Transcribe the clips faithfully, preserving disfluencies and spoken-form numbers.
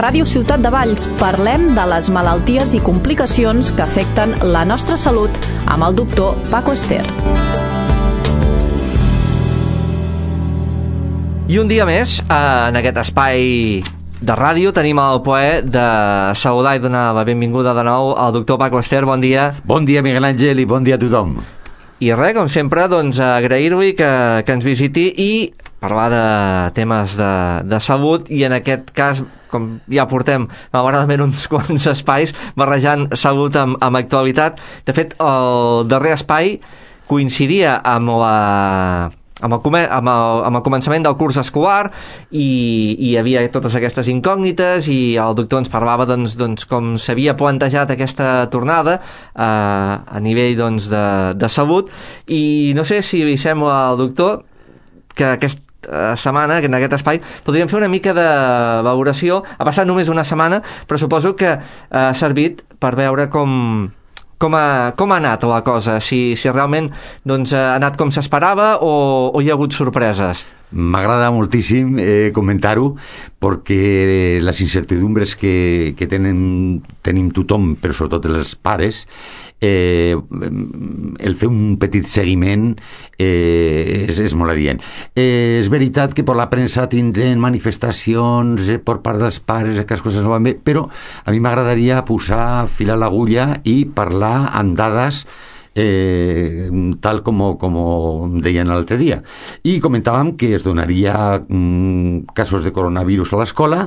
Ràdio Ciutat de Valls parlem de les malalties i complicacions que afecten la nostra salut amb el doctor Paco Ester. I un dia més, en aquest espai de ràdio, tenim el plaer de saludar i donar la benvinguda de nou al doctor Paco Ester. Bon dia. Bon dia, Miguel Àngel, i bon dia a tothom. I res, com sempre, doncs, agrair-li que, que ens visiti i parlar de temes de, de salut, i en aquest cas, com ja portem malauradament uns quants espais barrejant salut amb, amb actualitat. De fet, el darrer espai coincidia amb la... Amb el, amb, el, amb el començament del curs escolar i, i hi havia totes aquestes incògnites i el doctor ens parlava doncs, doncs, com s'havia plantejat aquesta tornada eh, a nivell doncs, de, de salut, i no sé si li sembla al doctor que aquesta setmana, en aquest espai, podríem fer una mica de valoració. Ha passat només una setmana, però suposo que ha servit per veure com... Com ha, com ha anat la cosa? Si, si realment doncs, ha anat com s'esperava o, o hi ha hagut sorpreses? M'agrada moltíssim eh, comentar-ho, perquè les incertidumbres que, que tenen, tenim tothom, però sobretot els pares, eh, el fer un petit seguiment eh, és, és molt adient. Eh, és veritat que per la premsa tindrem manifestacions eh, per part dels pares, que les coses no van bé, però a mi m'agradaria posar fil a l'agulla i parlar amb dades Eh, tal com, com deien l'altre dia, i comentàvem que es donaria mm, casos de coronavirus a l'escola,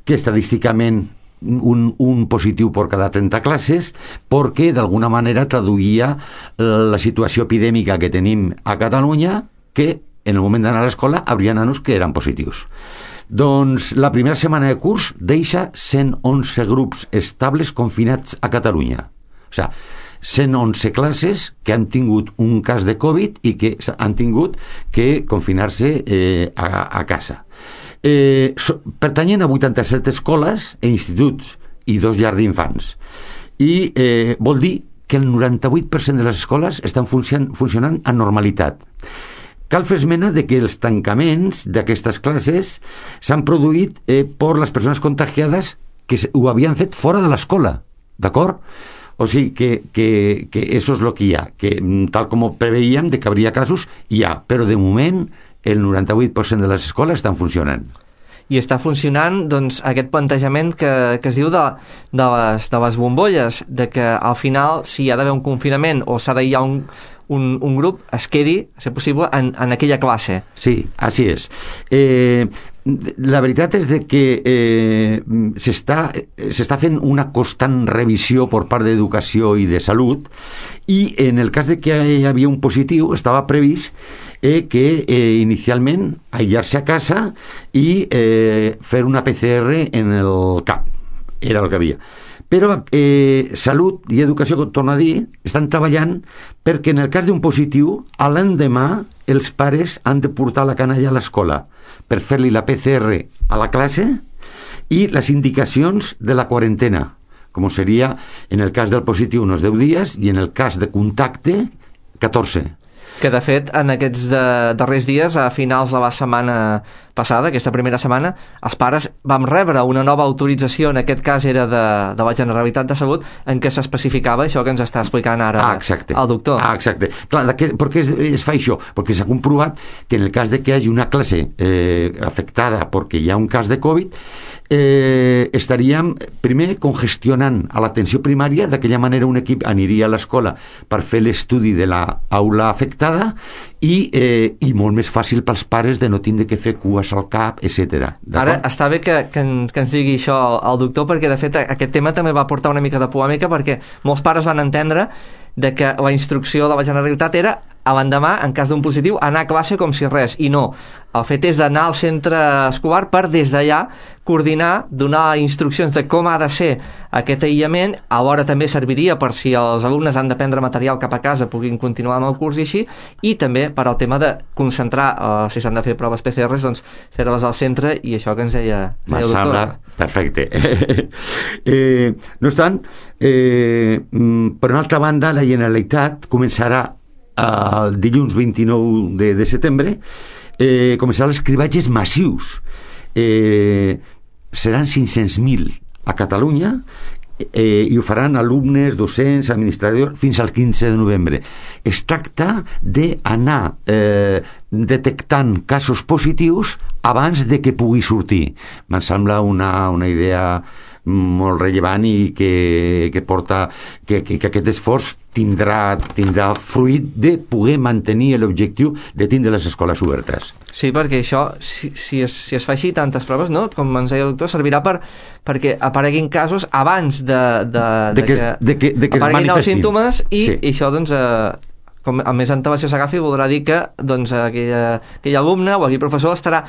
que estadísticament un, un positiu per cada trenta classes, perquè d'alguna manera traduïa la situació epidèmica que tenim a Catalunya, que en el moment d'anar a l'escola hauria nanos que eren positius. Doncs la primera setmana de curs deixa cent onze grups estables confinats a Catalunya. O sigui, cent onze classes que han tingut un cas de Covid i que han tingut que confinar-se eh, a, a casa. Eh, so, pertanyen a vuitanta-set escoles e instituts i dos llars d'infants. I eh, vol dir que el noranta-vuit per cent de les escoles estan funcionant, funcionant amb normalitat. Cal fer esmena de que els tancaments d'aquestes classes s'han produït eh, per les persones contagiades que ho havien fet fora de l'escola, d'acord? O sigui, que, que, que això és el que hi ha, que tal com ho preveíem de que hauria casos, hi ha, però de moment el noranta-vuit per cent de les escoles estan funcionant. I està funcionant doncs, aquest plantejament que, que es diu de, de, les, de les bombolles, de que al final, si hi ha d'haver un confinament o s'ha d'aïllar un, un, un grup, es quedi, si és possible, en, en aquella classe. Sí, així és. Eh, la veritat és de que eh, s'està, s'està fent una constant revisió per part d'Educació i de Salut, i en el cas de que hi havia un positiu estava previst eh, que eh, inicialment aïllar-se a casa i eh, fer una P C R en el cap, era el que havia. Però eh, Salut i Educació, torno a dir, estan treballant perquè en el cas d'un positiu, a l'endemà els pares han de portar la canalla a l'escola per fer-li la P C R a la classe i les indicacions de la quarantena, com seria en el cas del positiu uns deu dies i en el cas de contacte catorze. Que de fet en aquests de, darrers dies, a finals de la setmana passada, aquesta primera setmana, els pares vam rebre una nova autorització, en aquest cas era de, de la Generalitat de Salut, en què s'especificava això que ens està explicant ara ah, exacte. el doctor. Ah, exacte. Clar, de què, per què es, es fa això? Perquè s'ha comprovat que en el cas de que hi hagi una classe eh, afectada perquè hi ha un cas de Covid, eh, estaríem primer congestionant a l'atenció primària, d'aquella manera un equip aniria a l'escola per fer l'estudi de l'aula afectada i, eh, i molt més fàcil pels pares de no tindre que fer cues al cap, etcètera. Ara està bé que, que, en, que ens digui això el doctor, perquè de fet aquest tema també va portar una mica de polèmica, perquè molts pares van entendre de que la instrucció de la Generalitat era a l'endemà, en cas d'un positiu, anar a classe com si res, i no. El fet és d'anar al centre escolar per des d'allà coordinar, donar instruccions de com ha de ser aquest aïllament. Alhora també serviria per si els alumnes han de prendre material cap a casa puguin continuar amb el curs i així, i també per al tema de concentrar, eh, si s'han de fer proves P C Rs, doncs fer-les al centre, i això que ens deia el doctor. Sembla perfecte. eh, no obstant, eh, per una altra banda, la Generalitat començarà el dilluns vint-i-nou de setembre eh, començaran els cribatges massius. Eh, seran cinc-cents mil a Catalunya, eh, i ho faran alumnes, docents, administradors, fins al quinze de novembre. Es tracta d'anar eh, detectant casos positius abans de que pugui sortir. Me'n sembla una, una idea molt rellevant i que, que porta que, que, que aquest esforç tindrà, tindrà fruit de poder mantenir l'objectiu de tindre les escoles obertes. Sí, perquè això, si, si, es, si es fa així tantes proves, no? Com ens deia el doctor, servirà per, perquè apareguin casos abans de, de, de, de que, que, de que, de que apareguin els símptomes i, sí. i això, doncs, eh, com a més antelació s'agafi, voldrà dir que doncs, aquella, aquell alumne o aquell professor estarà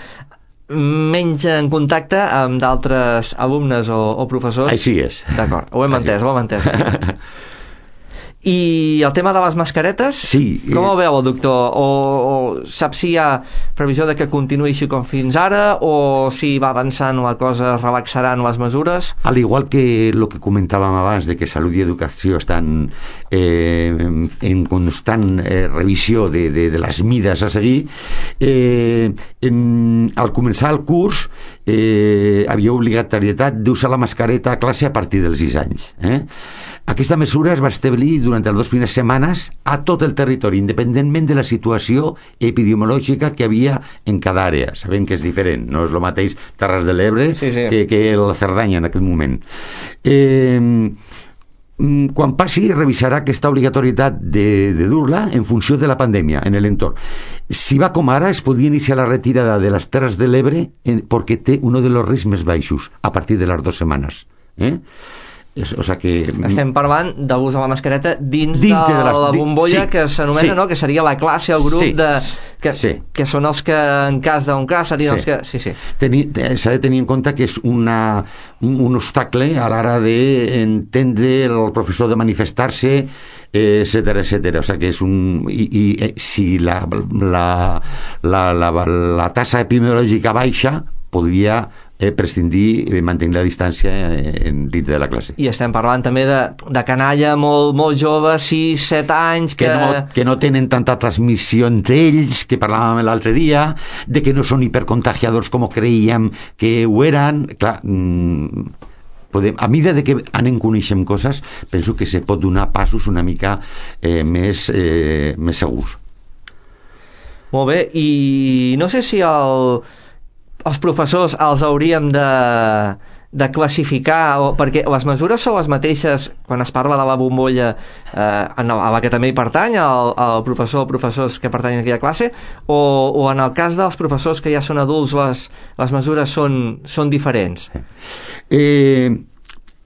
menys en contacte amb d'altres alumnes o, o professors. Així és. D'acord, ho hem entès, ho hem entès. I el tema de les mascaretes, sí, com ho veu el doctor? O, o sap si hi ha previsió de que continuï així com fins ara, o si va avançant la cosa, relaxaran les mesures? Al igual que el que comentàvem abans, de que Salut i Educació estan eh, en constant eh, revisió de, de, de les mides a seguir, eh, en, al començar el curs eh, havia obligatorietat d'usar la mascareta a classe a partir dels sis anys. Eh? Aquesta mesura es va establir durant les dues primeres setmanes a tot el territori, independentment de la situació epidemiològica que havia en cada àrea. Sabem que és diferent, no és el mateix Terres de l'Ebre sí, sí. que, que la Cerdanya en aquest moment. Eh, quan passi, revisarà aquesta obligatorietat de, de dur-la en funció de la pandèmia en l'entorn. Si va com ara, es podria iniciar la retirada de les Terres de l'Ebre perquè té un dels riscs més baixos a partir de les dues setmanes. Eh? O sea que estem parlant de l'ús de la mascareta dins, dins de, de la, la bombolla, sí, que s'anomena, sí. no? Que seria la classe, el grup, sí. de, que, sí. que són els que en cas d'un cas serien sí. els que... Sí, sí. S'ha de tenir en compte que és una, un, un obstacle a l'hora d'entendre el professor de manifestar-se, etcètera, etcètera. O sea que és un... I, i si la, la, la, la, la tassa epidemiològica baixa, podria eh, prescindir i mantenir la distància en dins de la classe. I estem parlant també de, de canalla molt, molt jove, sis, set anys, que... Que no, que no tenen tanta transmissió entre ells, que parlàvem l'altre dia, de que no són hipercontagiadors com creíem que ho eren. Clar, mmm, podem, a mesura de que anem coneixent coses, penso que se pot donar passos una mica eh, més, eh, més segurs. Molt bé, i no sé si el... els professors els hauríem de, de classificar, o, perquè les mesures són les mateixes quan es parla de la bombolla eh, a la que també hi pertany el, el professor o professors que pertanyen a aquella classe, o, o en el cas dels professors que ja són adults les, les mesures són, són diferents? Eh,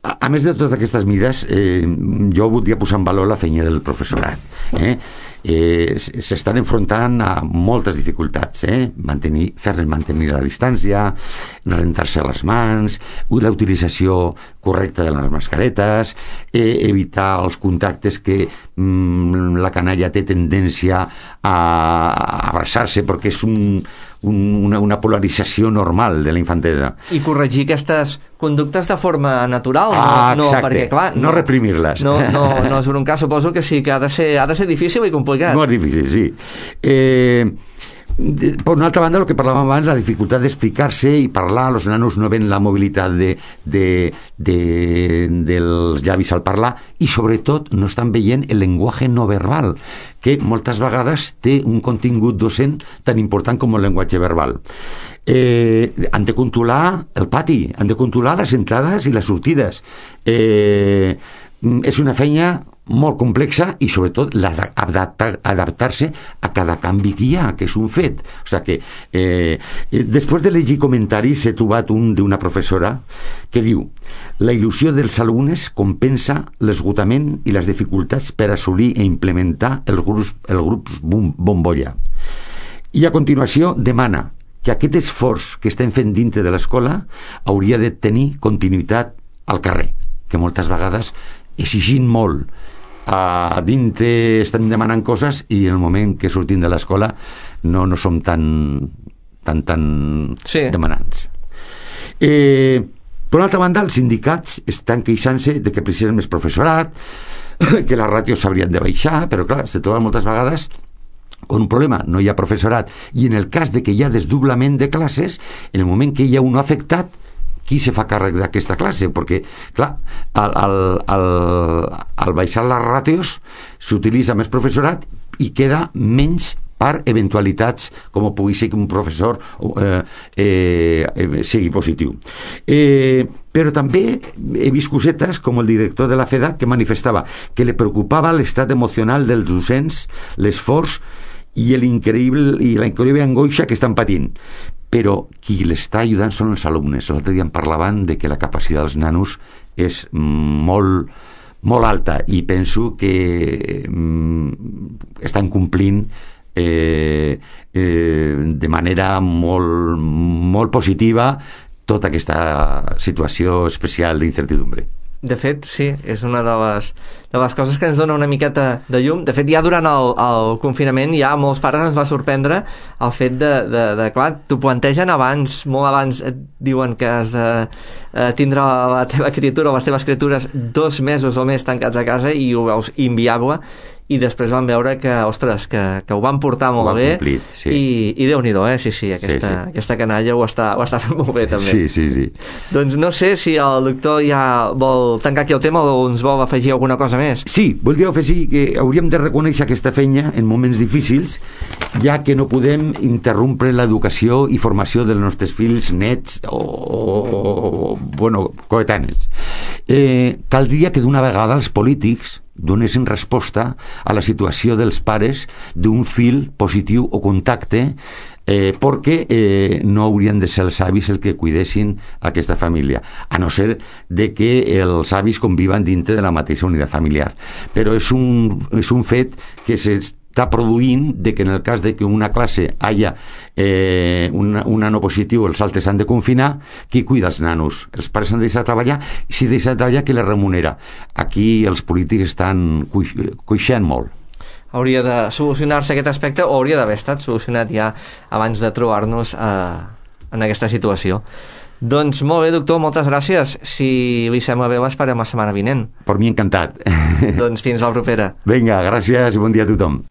a, a més de totes aquestes mides, eh, jo voldria posar en valor la feina del professorat. Eh? Eh, s'estan enfrontant a moltes dificultats, eh? mantenir, fer-les mantenir la distància, rentar-se les mans, la utilització correcta de les mascaretes, eh, evitar els contactes que mm, la canalla té tendència a, a abraçar-se perquè és un, un, una, una polarització normal de la infantesa. I corregir aquestes conductes de forma natural, no, ah, no perquè clar, no, no reprimir-les. No, no, no és un cas, suposo que sí, que ha de ser, ha de ser difícil i complicat. No és difícil, sí. Eh, de, per una altra banda, el que parlàvem abans, la dificultat d'explicar-se i parlar, els nanos no ven la mobilitat de, de, de, dels llavis al parlar i sobretot no estan veient el llenguatge no verbal, que moltes vegades té un contingut docent tan important com el llenguatge verbal. Eh, han de controlar el pati, han de controlar les entrades i les sortides. Eh, és una feina molt complexa i sobretot adaptar-se a cada canvi que hi ha, que és un fet. O sigui que eh, després de llegir comentaris he trobat un d'una professora que diu: la il·lusió dels alumnes compensa l'esgotament i les dificultats per assolir i implementar el grup, el grup bombolla. I a continuació demana que aquest esforç que estem fent dintre de l'escola hauria de tenir continuïtat al carrer, que moltes vegades exigint molt a dintre estem demanant coses i en el moment que sortim de l'escola no, no som tan tan, tan sí. demanants. Eh, per una altra banda, els sindicats estan queixant-se de que precisen més professorat, que les ràtios s'haurien de baixar, però clar, se troba moltes vegades con un problema, no hi ha professorat, i en el cas de que hi ha desdoblament de classes, en el moment que hi ha un afectat, qui se fa càrrec d'aquesta classe? Perquè, clar, al, al, al, al baixar les ràtios s'utilitza més professorat i queda menys per eventualitats com pugui ser que un professor eh, eh, sigui positiu. Eh, però també he vist cosetes com el director de la FEDAC que manifestava que li preocupava l'estat emocional dels docents, l'esforç i l'increïble i la increïble angoixa que estan patint. Però qui l'està ajudant són els alumnes. L'altre dia em parlaven de que la capacitat dels nanos és molt, molt alta i penso que mm, estan complint Eh, eh, de manera molt, molt positiva tota aquesta situació especial d'incertidumbre. De fet, sí, és una de les, de les coses que ens dona una miqueta de llum. De fet, ja durant el, el confinament ja molts pares ens va sorprendre el fet de, de, de clar, t'ho plantegen abans, molt abans et diuen que has de eh, tindre la teva criatura o les teves criatures dos mesos o més tancats a casa i ho veus inviable, i després van veure que, ostres, que, que ho van portar molt bé complit, sí. i, i Déu-n'hi-do, eh? Sí, sí, aquesta, sí, sí. aquesta canalla ho està, ho està fent molt bé també. Sí, sí, sí. Doncs no sé si el doctor ja vol tancar aquí el tema o ens vol afegir alguna cosa més. Sí, voldria afegir que hauríem de reconèixer aquesta feina en moments difícils, ja que no podem interrompre l'educació i formació dels nostres fills, nets o, o, o bueno, coetanis. Eh, caldria que d'una vegada els polítics donessin resposta a la situació dels pares d'un fill positiu o contacte, eh, perquè eh, no haurien de ser els avis el que cuidessin aquesta família, a no ser de que els avis conviven dintre de la mateixa unitat familiar. Però és un, és un fet que s'està produint de que en el cas de que una classe haya eh, un, un nano positiu, els altres han de confinar, qui cuida els nanos? Els pares han de deixar de treballar, i si deixa de treballar, qui les remunera? Aquí els polítics estan cuix, coixant molt. Hauria de solucionar-se aquest aspecte o hauria d'haver estat solucionat ja abans de trobar-nos eh, en aquesta situació. Doncs molt bé, doctor, moltes gràcies. Si li sembla bé, l'esperem la setmana vinent. Per mi encantat. Doncs fins la propera. Vinga, gràcies i bon dia a tothom.